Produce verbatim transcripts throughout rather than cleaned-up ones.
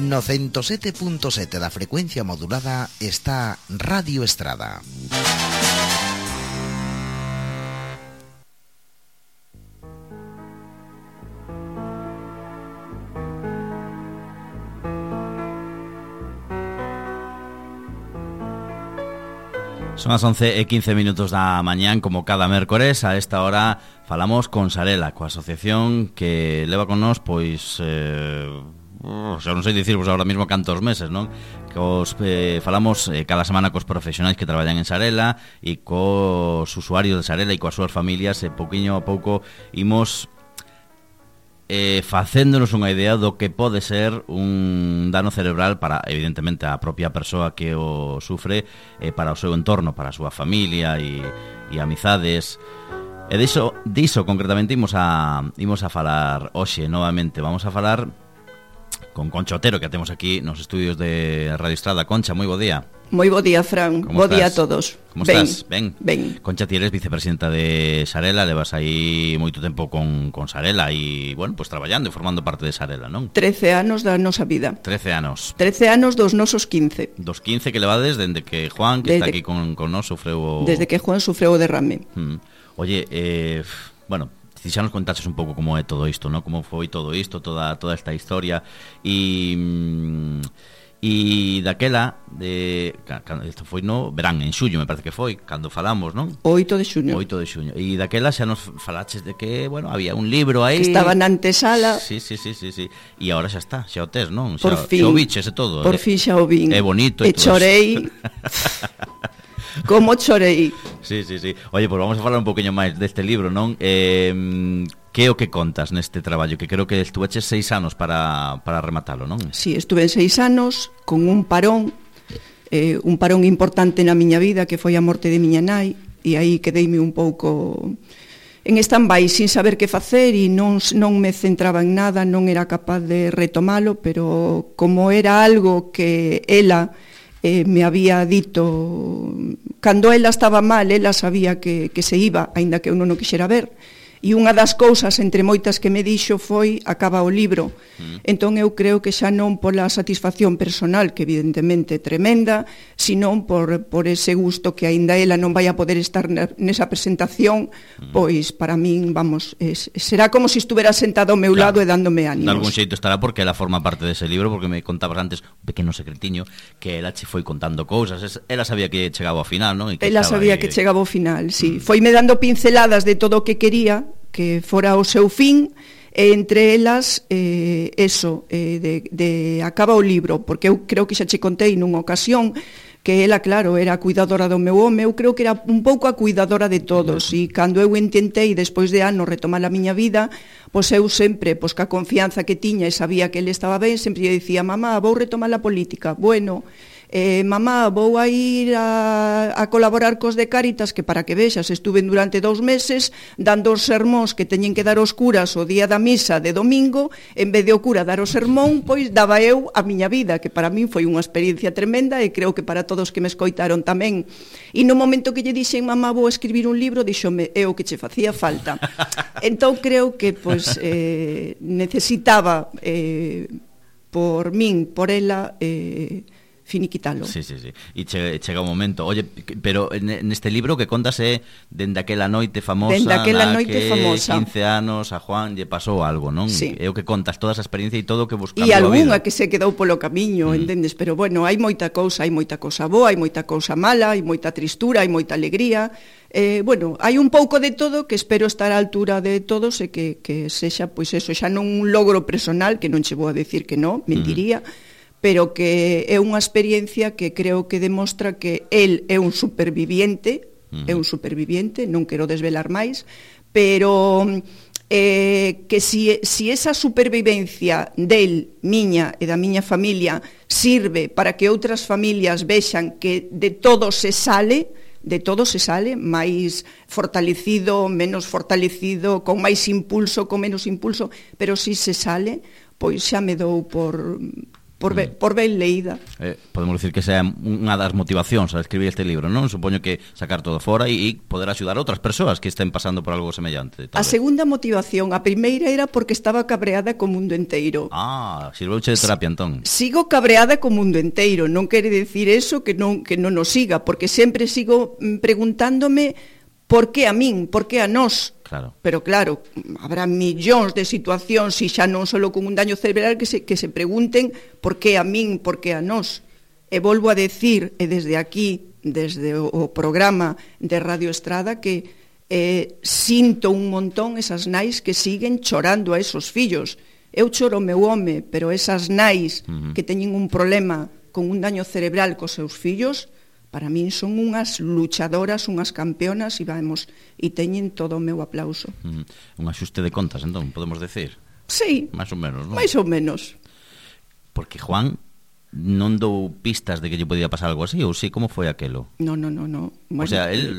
No ciento sete punto sete da frecuencia modulada está Radio Estrada. Son as once e quince minutos da mañán, como cada mércores. A esta hora falamos con Sarela, coa asociación que leva con nós, pois, eh, o sea, non sei dicirvos agora mesmo cantos meses, non? Que os, eh, falamos eh, cada semana cos profesionais que traballan en Sarela e cos usuarios de Sarela e coas súas familias, e pouquiño a pouco imos Eh, facéndonos unha idea do que pode ser un dano cerebral para, evidentemente, a propia persoa que o sufre, eh, para o seu entorno, para a súa familia e, e amizades. E diso, diso concretamente imos a, imos a falar hoxe novamente. Vamos a falar con Concha Otero, que temos aquí nos estudios de Radio Estrada. Concha, moi bo día. Moi bo día, Fran. Bo día a todos. Como estás? Ben. Ben. Concha, ti eres vicepresidenta de Sarela, levas aí moito tempo con, con Sarela e, bueno, pues traballando e formando parte de Sarela, non? trece anos da nosa vida. trece anos. trece anos dos nosos quince. Dos quince que levades dende que Juan, que desde, está aquí con, con nós, sufreu o... Desde que Juan sufreu o derrame. Mm. Oye, eh, bueno... Si xa nos contaches un pouco como é todo isto, ¿no? Como foi todo isto, toda toda esta historia e e daquela de isto foi no verán, en xullo, me parece que foi, cando falamos, non? oito de xuño. oito de xuño. E daquela xa nos falaches de que, bueno, había un libro aí que estaba na antesala. Sí, sí, sí, sí, sí. E agora xa está, xa o tes, non? Por xa, fin. Xa o biches e todo. Por eh? fin xa o vin. É bonito e e todo. chorei. Como chorei. Sí, sí, sí. Oye, pues vamos a falar un poquinho máis deste libro, non? Eh, que é o que contas neste traballo? Que creo que estuveches seis anos para, para rematalo, non? Sí, estuve seis anos con un parón, eh, un parón importante na miña vida, que foi a morte de miña nai, e aí quedeime un pouco en stand-by, sin saber que facer, e non, non me centraba en nada, non era capaz de retomalo, pero como era algo que ela... Eh, me había dito, cando ela estaba mal, ela sabía que, que se iba, aínda que eu non o quixera ver, e unha das cousas, entre moitas que me dixo, foi acaba o libro. Mm. Entón eu creo que xa non pola satisfacción personal, que evidentemente é tremenda, senón por, por ese gusto que aínda ela non vai a poder estar nesa presentación, mm. pois para min, vamos, es, será como se si estuvera sentada ao meu claro, lado e dándome ánimos. De algún xeito estará porque ela forma parte dese libro, porque me contabas antes un pequeno secretiño que ela che foi contando cousas, ela sabía que chegaba ao final, non? E que ela sabía aí... que chegaba ao final, sí. Mm. Foime dando pinceladas de todo o que quería que fora o seu fin, e entre elas eh, eso, eh, de, de acaba o libro, porque eu creo que xa che contei nunha ocasión que ela, claro, era a cuidadora do meu home, eu creo que era un pouco a cuidadora de todos, e cando eu intentei, despois de anos, retomar a miña vida, pois eu sempre, pois ca confianza que tiña e sabía que ele estaba ben, sempre lle dicía, mamá, vou retomar a política, bueno... Eh, mamá, vou a ir a, a colaborar cos de Cáritas, que para que vexas, estuve durante dous meses dando os sermóns que teñen que dar os curas o día da misa de domingo, en vez de o cura dar o sermón, pois daba eu a miña vida, que para min foi unha experiencia tremenda e creo que para todos que me escoitaron tamén. E no momento que lle dixen, mamá, vou escribir un libro, díxome, é o que che facía falta. Entón creo que pois, eh, necesitaba eh, por min, por ela, eh, finiquitalo. Sí, sí, sí. E che, chega o momento. Oye, pero neste libro que contas é dende aquela noite famosa, dende aquela na noite que famosa. quince anos a Juan lle pasou algo, non? Sí. É o que contas, toda esa experiencia e todo o que buscamos e a vida. E algunha que se quedou polo camiño, mm. entendes? Pero bueno, hai moita cousa, hai moita cousa boa, hai moita cousa mala, hai moita tristura, hai moita alegría. Eh, bueno, hai un pouco de todo que espero estar á altura de todos e que, que sexa, pois eso, xa non un logro personal, que non che vou a decir que non, mentiría, mm. pero que é unha experiencia que creo que demostra que el é un superviviente, uh-huh. é un superviviente, non quero desvelar máis, pero eh, que si, si esa supervivencia del, miña e da miña familia sirve para que outras familias vexan que de todo se sale, de todo se sale, máis fortalecido, menos fortalecido, con máis impulso, con menos impulso, pero si se sale, pois xa me dou por... por, be, por ben leída. Eh, podemos dicir que sea unha das motivacións a escribir este libro, non? Supoño que sacar todo fora e, e poder axudar a outras persoas que estén pasando por algo semellante. A segunda motivación, a primeira era porque estaba cabreada co mundo enteiro. Ah, sirveuche de terapia, entón. Sigo cabreada co mundo enteiro, non quere decir eso que non, que non nos siga, porque sempre sigo preguntándome por que a min, por que a nós. Claro. Pero claro, habrá millóns de situacións, e xa non só con un daño cerebral, que se, que se pregunten por que a min, por que a nós. E volvo a decir, e desde aquí, desde o, o programa de Radio Estrada, que eh, sinto un montón esas nais que siguen chorando a esos fillos. Eu choro o meu home, pero esas nais uh-huh. que teñen un problema con un daño cerebral cos seus fillos, para min son unhas luchadoras, unhas campeonas, e vamos, e teñen todo o meu aplauso. Mm, un axuste de contas, entón, podemos decir? Sí. Máis ou menos, non? Máis ou menos. Porque Juan non dou pistas de que lle podía pasar algo así, ou sí, como foi aquelo? No, no, no, no. Bueno, o sea, él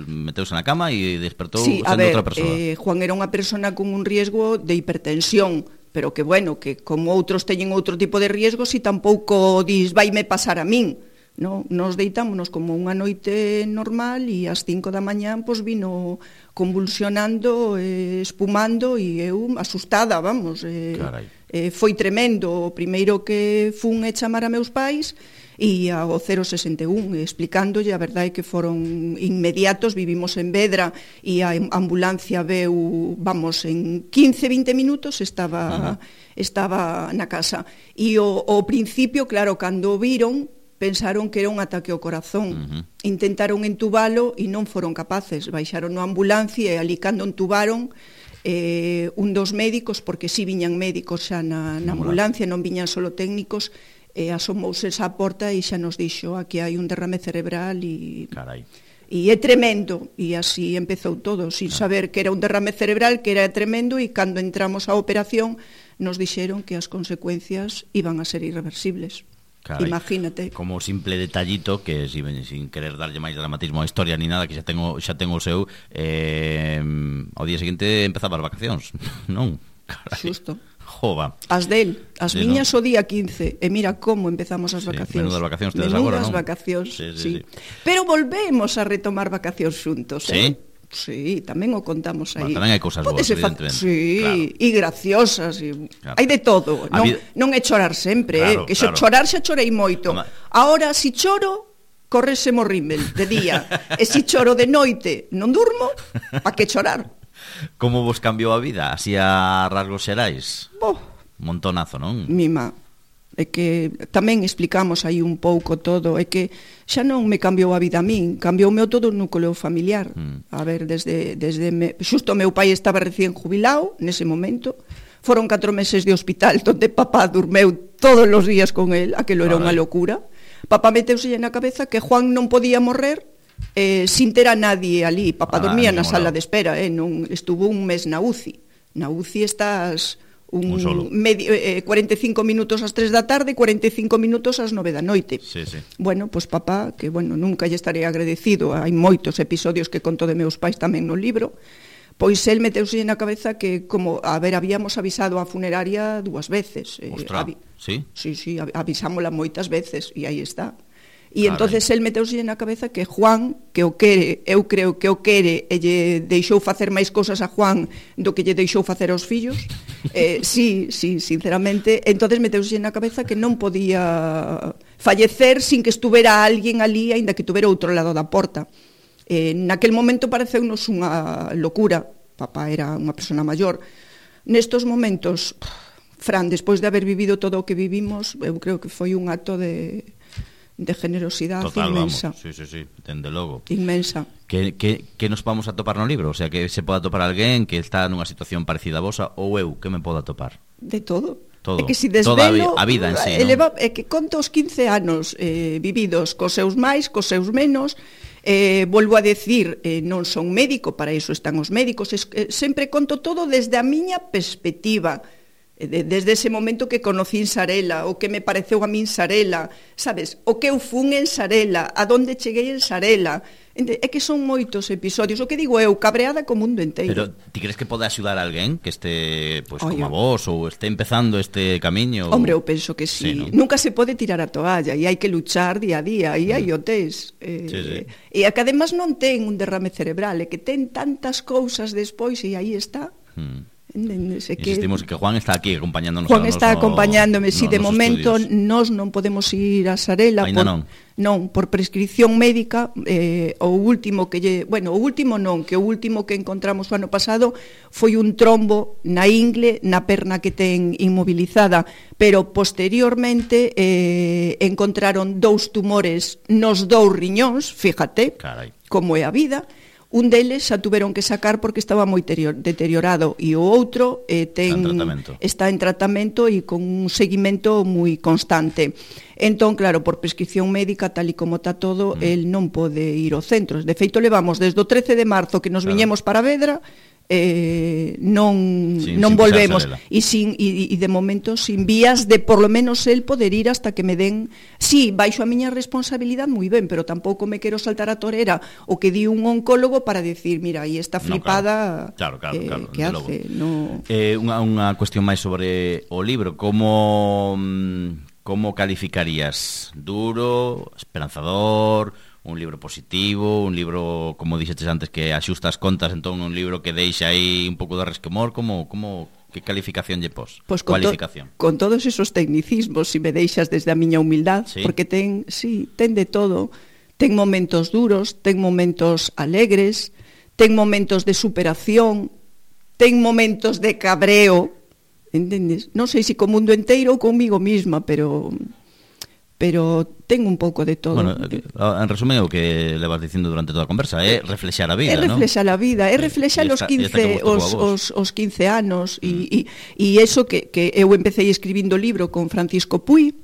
meteuse na cama e despertou sí, sendo ver, outra persoa. Eh, Juan era unha persona con un riesgo de hipertensión, pero que, bueno, que como outros teñen outro tipo de riesgos, e tampouco dis, vaime pasar a min. No, nos deitámonos como unha noite normal e ás cinco da mañán pois vino convulsionando, eh, espumando, e eu asustada, vamos. Eh, eh, foi tremendo. O primeiro que fun é chamar a meus pais e ao cero sesenta e un, explicándolle, a verdade é que foron inmediatos. Vivimos en Vedra e a ambulancia veu, vamos, en quince, vinte minutos estaba, uh-huh. estaba na casa. E o, o principio, claro, cando o viron, pensaron que era un ataque ao corazón. Uh-huh. Intentaron entubalo e non foron capaces. Baixaron na ambulancia e ali cando entubaron, eh, un dos médicos, porque si viñan médicos xa na, na ambulancia, non viñan solo técnicos, eh, asomouse esa porta e xa nos dixo, aquí hai un derrame cerebral e... Carai. E é tremendo, e así empezou todo, sin saber que era un derrame cerebral, que era tremendo, e cando entramos á operación nos dixeron que as consecuencias iban a ser irreversibles. Carai, imagínate. Como simple detallito que sin, sin querer darlle máis dramatismo á historia ni nada, que xa tengo xa tengo o seu, eh, ao día seguinte empezaba as vacacións, non? Carai. Xusto. Jova. As del, as sí, miñas no? O día quince, e mira como empezamos as vacacións. Sí, menudas vacacións tedes agora, non? Menudas vacacións, sí, sí, sí. sí. Pero volvemos a retomar vacacións xuntos, eh? Sí. Sí, tamén o contamos aí. Bueno, tamén hai cousas boas, evidentemente. Sí, claro. E graciosas, e claro. Hai de todo. Non, vida... non é chorar sempre, claro, eh? Que claro. Chorar xa chorei moito. Toma. Ahora, si choro, correse mo rímel de día. E si choro de noite, non durmo, pa que chorar? Como vos cambiou a vida, así a rasgos xerais? Oh. Montonazo, non? Mima. É que tamén explicamos aí un pouco todo, é que xa non me cambiou a vida a min, cambioume todo o núcleo familiar. Mm. A ver, desde, desde me, xusto o meu pai estaba recién jubilado nese momento, foron catro meses de hospital donde papá durmeu todos os días con el, aquilo era unha locura. Papá meteuse na cabeza que Juan non podía morrer eh, sin ter a nadie ali. Papá ah, dormía na sala de espera, eh, non estuvo un mes na U C I. Na U C I estás... Un, un medio, eh, cuarenta e cinco minutos ás tres da tarde, cuarenta e cinco minutos ás nove da noite. Sí, sí. Bueno, pois pues papá, que bueno, nunca lle estaré agradecido, hai moitos episodios que conto de meus pais tamén no libro, pois el meteuse na cabeza que, como, a ver, habíamos avisado a funeraria dúas veces. Ostra, eh, sí? Sí, sí, avisámola moitas veces, e aí está. E entonces el meteuse na cabeza que Juan, que o quere, eu creo que o quere, e lle deixou facer máis cousas a Juan do que lle deixou facer aos fillos. Eh, sí, sí, sinceramente. Entonces meteuse na cabeza que non podía fallecer sin que estuvera alguén ali, aínda que tuvera outro lado da porta. Eh, naquel momento pareceunos unha locura. Papá era unha persona maior. Nestos momentos, Fran, despois de haber vivido todo o que vivimos, eu creo que foi un acto de... de generosidade total, inmensa. Vamos. Sí, sí, sí, dende logo. Inmensa. Que, que, que nos vamos a topar no libro? O sea, que se poda topar alguén que está nunha situación parecida a vosa, ou eu, que me poda topar? De todo. Todo. É que si desvelo, toda a vida en sí, eleva, non? É que conto os quince anos eh, vividos cos seus máis, cos seus menos, eh, volvo a decir, eh, non son médico, para iso están os médicos, es, eh, sempre conto todo desde a miña perspectiva, desde ese momento que conocín Sarela, o que me pareceu a min Sarela, sabes, o que eu fun en Sarela, a donde cheguei en Sarela, É que son moitos episodios. O que digo eu, cabreada co mundo inteiro. Pero ti crees que pode axudar a alguén que este, pues, Oye, como a vos, ou este empezando este camiño? Hombre, eu penso que sí, sí, ¿no? Nunca se pode tirar a toalla e hai que luchar día a día, e hai o tes eh, sí, sí. E a que además non ten un derrame cerebral, é que ten tantas cousas despois e aí está. Hmm. Entendes? Que Insistimos que Juan está aquí acompañándonos. Juan está acompañándome, si sí, de momento estudios. Nós non podemos ir a Sarela Ainda por, non. non, por prescripción médica. eh, o último que lle, bueno, o último non, que o último que encontramos o ano pasado foi un trombo na ingle, na perna que ten inmobilizada, pero posteriormente eh, encontraron dous tumores nos dous riñóns, fíjate, Carai. como é a vida. Un deles xa tuveron que sacar porque estaba moi deteriorado e o outro eh, ten, está en tratamento, está en tratamento e con un seguimento moi constante. Entón, claro, por prescripción médica, tal e como está todo, mm. el non pode ir aos centros. De feito, levamos desde o trece de marzo que nos claro. viñemos para Vedra, eh, non, sin, non sin volvemos e, sin, e, e de momento sin vías de por lo menos el poder ir hasta que me den, sí, baixo a miña responsabilidade moi ben, pero tampouco me quero saltar a torera o que di un oncólogo para decir, mira, aí está flipada, no, claro, claro, claro, eh, que hace no... eh, unha, unha cuestión máis sobre o libro, como como calificarías? Duro, esperanzador, un libro positivo, un libro, como dixetes antes, que axusta as contas, entón un libro que deixa aí un pouco de resquemor, como, como que calificación lle pos? Pues con, cualificación. To, con todos esos tecnicismos, si me deixas desde a miña humildad, ¿Sí? porque ten, sí, ten de todo, ten momentos duros, ten momentos alegres, ten momentos de superación, ten momentos de cabreo, entendes? Non sei se co mundo inteiro ou comigo mesma, pero... pero ten un pouco de todo. Bueno, en resumen, o que levas dicindo durante toda a conversa é reflexar a vida, é reflexar ¿no? a vida, é reflexar os quince os, os, os quince anos e, mm. e, e eso que, que eu empecé escribindo o libro con Francisco Puy.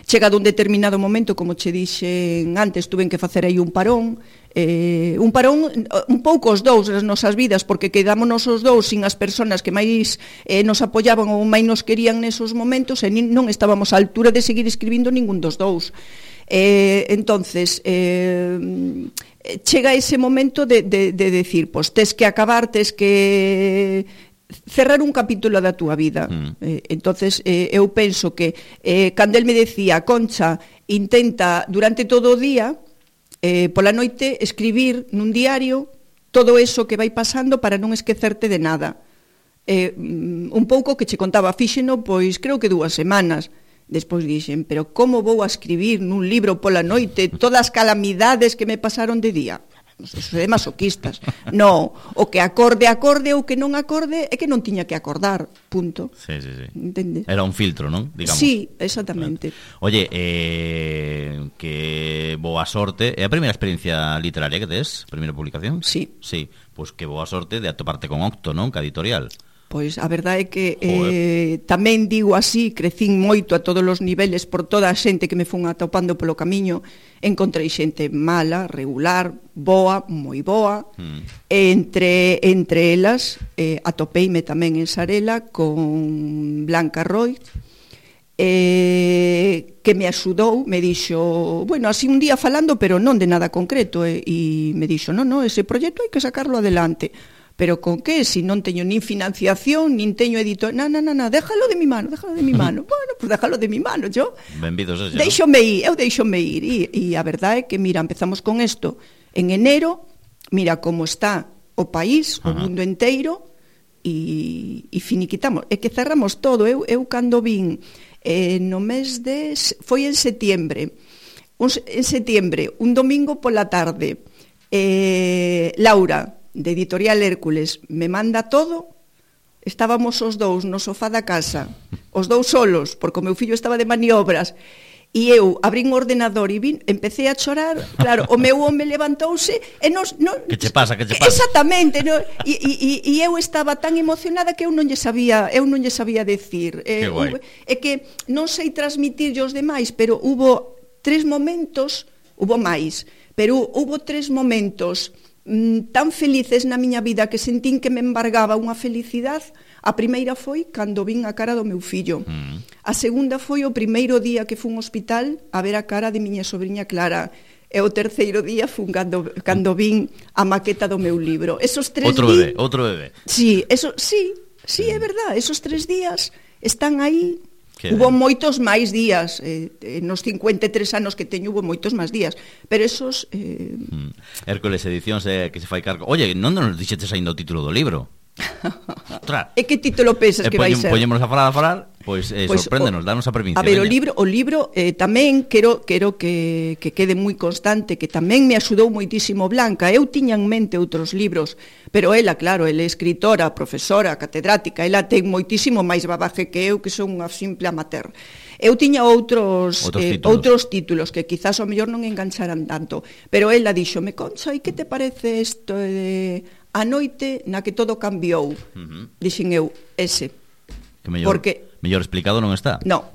Chegado un determinado momento, como che dixen antes, tuven que facer aí un parón, eh, un parón un pouco os dous as nosas vidas, porque quedámonos os dous sin as persoas que máis eh, nos apoyaban ou máis nos querían nesos momentos, e non estábamos á altura de seguir escribindo ningún dos dous. Eh, entonces, eh, chega ese momento de, de, de decir, pois tes que acabar, tes que... cerrar un capítulo da túa vida. Mm. Eh, entonces eh, eu penso que eh, cando el me decía, Concha, intenta durante todo o día eh, pola noite escribir nun diario todo eso que vai pasando para non esquecerte de nada. Eh, un pouco que che contaba, fíxeno, pois creo que dúas semanas. Despois dixen, pero como vou a escribir nun libro pola noite todas as calamidades que me pasaron de día? Eso é masoquistas. No, o que acorde, acorde, o que non acorde é que non tiña que acordar, punto. Sí, sí, sí. Entende? Era un filtro, non? Digamos. Sí, exactamente. Oye, eh, que boa sorte. É a primeira experiencia literaria que tes? Primeira publicación? Sí. Sí, pois pues que boa sorte de atoparte con Octo, non? Que editorial. Pois a verdade é que eh, tamén digo así, crecín moito a todos os niveles por toda a xente que me fun atopando polo camiño. Encontrei xente mala, regular, boa, moi boa. Mm. Entre, entre elas eh, atopeime tamén en Sarela con Blanca Roy, eh, que me axudou, me dixo, bueno, así un día falando, pero non de nada concreto, eh, e me dixo, non, non, ese proxecto hai que sacarlo adelante. Pero con que? Si non teño nin financiación, nin teño editor... Na, na, na, na, déjalo de mi mano, déjalo de mi mano. Bueno, pues déjalo de mi mano, yo... Benvidos a xa. Deixome ir, eu deixome ir. E, e a verdade é que, mira, empezamos con isto en enero, mira como está o país, o Ajá. mundo inteiro, e, e finiquitamos. É que cerramos todo. Eu, eu cando vin eh, no mes de... Foi en setiembre. Un, en setiembre, un domingo pola tarde, eh, Laura... de Editorial Hércules, me manda todo, estábamos os dous no sofá da casa, os dous solos, porque o meu fillo estaba de maniobras, e eu abrín o ordenador e vin, empecé a chorar, claro, o meu home levantouse e nos... Non, que che pasa, que che pasa? Exactamente, no, e, e, e eu estaba tan emocionada que eu non lle sabía, eu non lle sabía decir. Eh, é que non sei transmitir aos demais, pero hubo tres momentos, hubo máis, pero hubo tres momentos tan felices na miña vida que sentín que me embargaba unha felicidade. A primeira foi cando vin a cara do meu fillo. Mm. A segunda foi o primeiro día que fun ao hospital a ver a cara de miña sobrinha Clara. e o terceiro día fun cando, cando vin a maqueta do meu libro. Esos tres outro días, bebé, outro bebé. Sí, eso, sí, sí, é verdad, esos tres días están aí. Que Hubo ben. moitos máis días, eh, nos cincuenta e tres anos que teño hubo moitos máis días, pero esos... Eh... Mm. Hércules Edicións eh, que se fai cargo. Oye, non nos dixetes aínda o título do libro? Ostras. E que título pensas E que vai poñem, ser? poñémonos a falar, a falar, pois eh, Pois, sorpréndenos, o- danos a provincia. A ver, o veña. libro, o libro eh, tamén quero quero que, que quede moi constante, que tamén me axudou moitísimo Blanca. Eu tiña en mente outros libros, pero ela, claro, ela é escritora, profesora, catedrática, ela ten moitísimo máis babaje que eu, que son unha simple amateur. Eu tiña outros Outros eh, títulos. outros títulos que quizás ao mellor non engancharan tanto, pero ela díxome, Concha, e que te parece isto de A noite na que todo cambiou? Uh-huh. Dixen eu, ese. Que mellor, Porque- mellor explicado non está. No,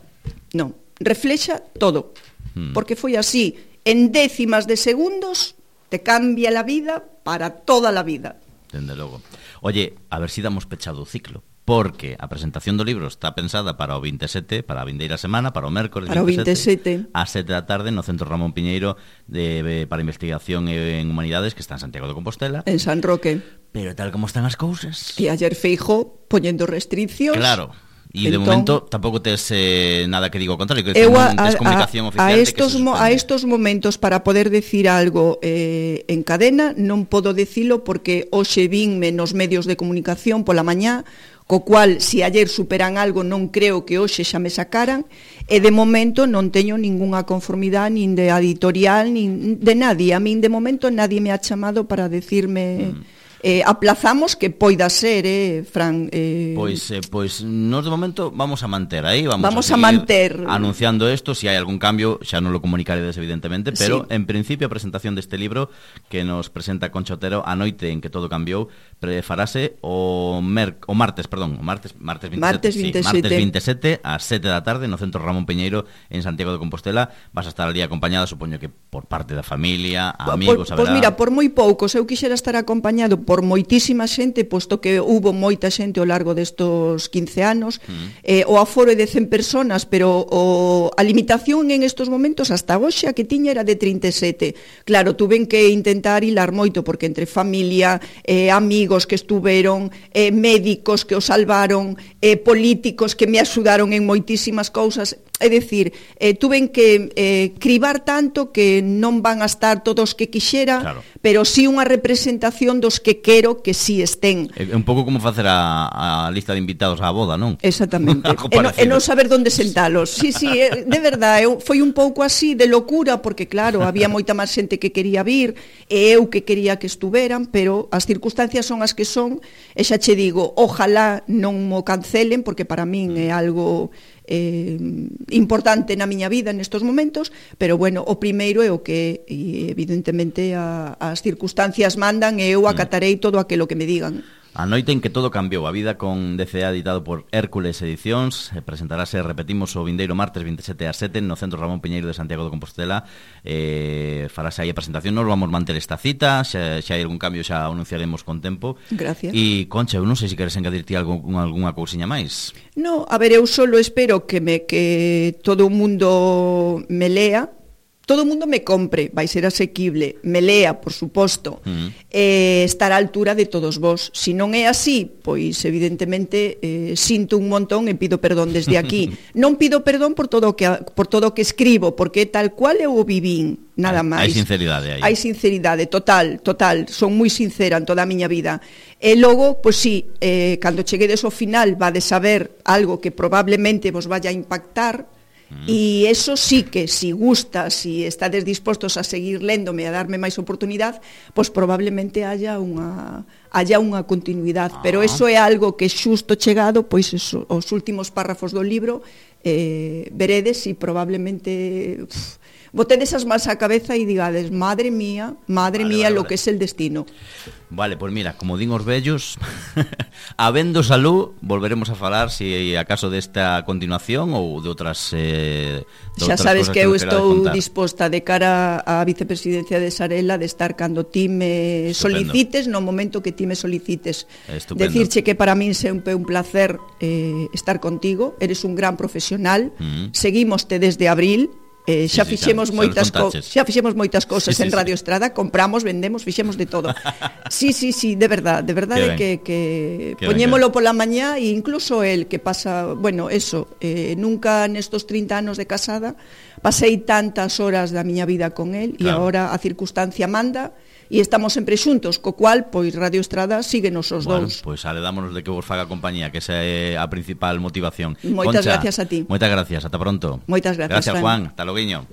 no, reflexa todo, Mm. porque foi así, en décimas de segundos te cambia la vida para toda la vida. Dende logo. Oye, a ver si damos pechado o ciclo, porque a presentación do libro está pensada para o vinte e sete, para a vindeira semana, para o mércoles Para o vinte e sete, vinte e sete. a sete da tarde no Centro Ramón Piñeiro de, para Investigación en Humanidades, que está en Santiago de Compostela. En San Roque. Pero tal como están as cousas... E ayer Feijo poñendo restriccións. Claro. E de Entón, momento tampouco tes eh, nada que digo ao contrario, que Eu non a, tes a, comunicación a, oficial a de que estos se mo, a suspende. estos momentos para poder decir algo eh, en cadena non podo dicilo porque hoxe vinme nos medios de comunicación pola mañá, co cual, se ayer superan algo, non creo que hoxe xa me sacaran, e de momento non teño ningunha conformidade nin de editorial, nin de nadie. A min de momento nadie me ha chamado para decirme... Mm. Eh, aplazamos que poida ser, eh, Fran. Eh... Pois, eh, pois nos de momento vamos a manter aí, vamos, Vamos a, a manter. anunciando isto, se si hai algún cambio xa non lo comunicaredes evidentemente, pero Sí. en principio a presentación deste libro que nos presenta Concha Otero, A noite en que todo cambiou, prefarase o mer, o martes, perdón, o martes, martes vinte e sete, Martes sí, vinte e sete. martes vinte e sete ás sete da tarde no Centro Ramón Piñeiro en Santiago de Compostela. Vas a estar ali acompañada, supoño que por parte da familia, amigos, Pois haberá... mira, por moi poucos, eu quixera estar acompañado por moitísima xente, posto que hubo moita xente ao largo destos quince anos, mm. eh, o aforo é de cen personas, pero o, a limitación en estos momentos hasta hoxe a que tiña era de trinta e sete. Claro, tuven que intentar hilar moito, porque entre familia, eh, amigos que estuveron, eh, médicos que o salvaron, eh, políticos que me axudaron en moitísimas cousas, é dicir, eh, tuven que eh, cribar tanto que non van a estar todos que quixera, Claro. pero sí unha representación dos que quero que sí estén. É un pouco como facer a, a lista de invitados á boda, non? Exactamente. Algo e, no, e parecido. non saber onde sentalos. Sí, sí, eh, de verdade, eu, foi un pouco así de locura, porque claro, había moita máis xente que quería vir, e eu que quería que estuveran, pero as circunstancias son as que son, e xa che digo, ojalá non mo cancelen, porque para min é algo eh, importante na miña vida nestos momentos, pero bueno, o primeiro é o que e evidentemente a, as circunstancias mandan e eu acatarei todo aquilo que me digan. A noite en que todo cambiou, a vida con D C A editado por Hércules Edicións, eh, presentarase, repetimos, o vindeiro martes vinte e sete ás sete no Centro Ramón Piñeiro de Santiago de Compostela. Eh, farase aí a presentación, nos vamos manter esta cita, xa, xa hai algún cambio xa anunciaremos con tempo. Gracias. E Concha, eu non sei se queres engadirte algo, algunha cousiña máis. No, a ver, eu solo espero que me que todo o mundo me lea, todo o mundo me compre, vai ser asequible, me lea, por suposto, Mm. eh, estar á altura de todos vos. Si non é así, pois evidentemente eh, sinto un montón e pido perdón desde aquí. Non pido perdón por todo o que por todo o que escribo, porque tal cual eu o vivín, nada Hai- máis. hai sinceridade aí. Hai sinceridade, total, total, son moi sincera en toda a miña vida. E logo, pois sí, eh, cando cheguedes ao final vades saber algo que probablemente vos vaya a impactar, mm. e eso sí que, si gusta, si estades dispostos a seguir léndome, a darme máis oportunidade, pois probablemente haya unha haya unha continuidade, ah. pero eso é algo que xusto chegado, pois eso, os últimos párrafos do libro, eh, veredes e probablemente uf, botedes as más á cabeza e digades, madre mía, madre Vale, mía, vale, lo vale. que es el destino. Vale, pois pues mira, como din os vellos, habendo salud, volveremos a falar se si acaso desta continuación ou de outras eh, de Xa outras sabes cosas que eu nos querades estou contar. disposta de cara á vicepresidencia de Sarela de estar cando ti me Estupendo. solicites, no momento que ti me solicites. Estupendo. Decirche que para min sempre un placer eh, estar contigo, eres un gran profesional, Mm. seguímoste desde abril, Eh, xa sí, sí, fixemos xa, moitas xa, co- xa fixemos moitas cousas sí, sí, en Radio sí. Estrada, compramos, vendemos, fixemos de todo. Sí, sí, sí, de verdad, de verdade que, que Qué poñémolo ben. pola mañá e incluso el que pasa, bueno, eso, eh, nunca nestos trinta anos de casada pasei tantas horas da miña vida con el e Claro. agora a circunstancia manda e estamos sempre xuntos, co cual, pois Radio Estrada síguenos os Bueno, dous. pois aledámonos de que vos faga compañía, que esa é a principal motivación. Moitas Concha, gracias a ti. Moitas gracias, ata pronto. Moitas gracias, Gracias, Fran. Juan. Hasta loguiño.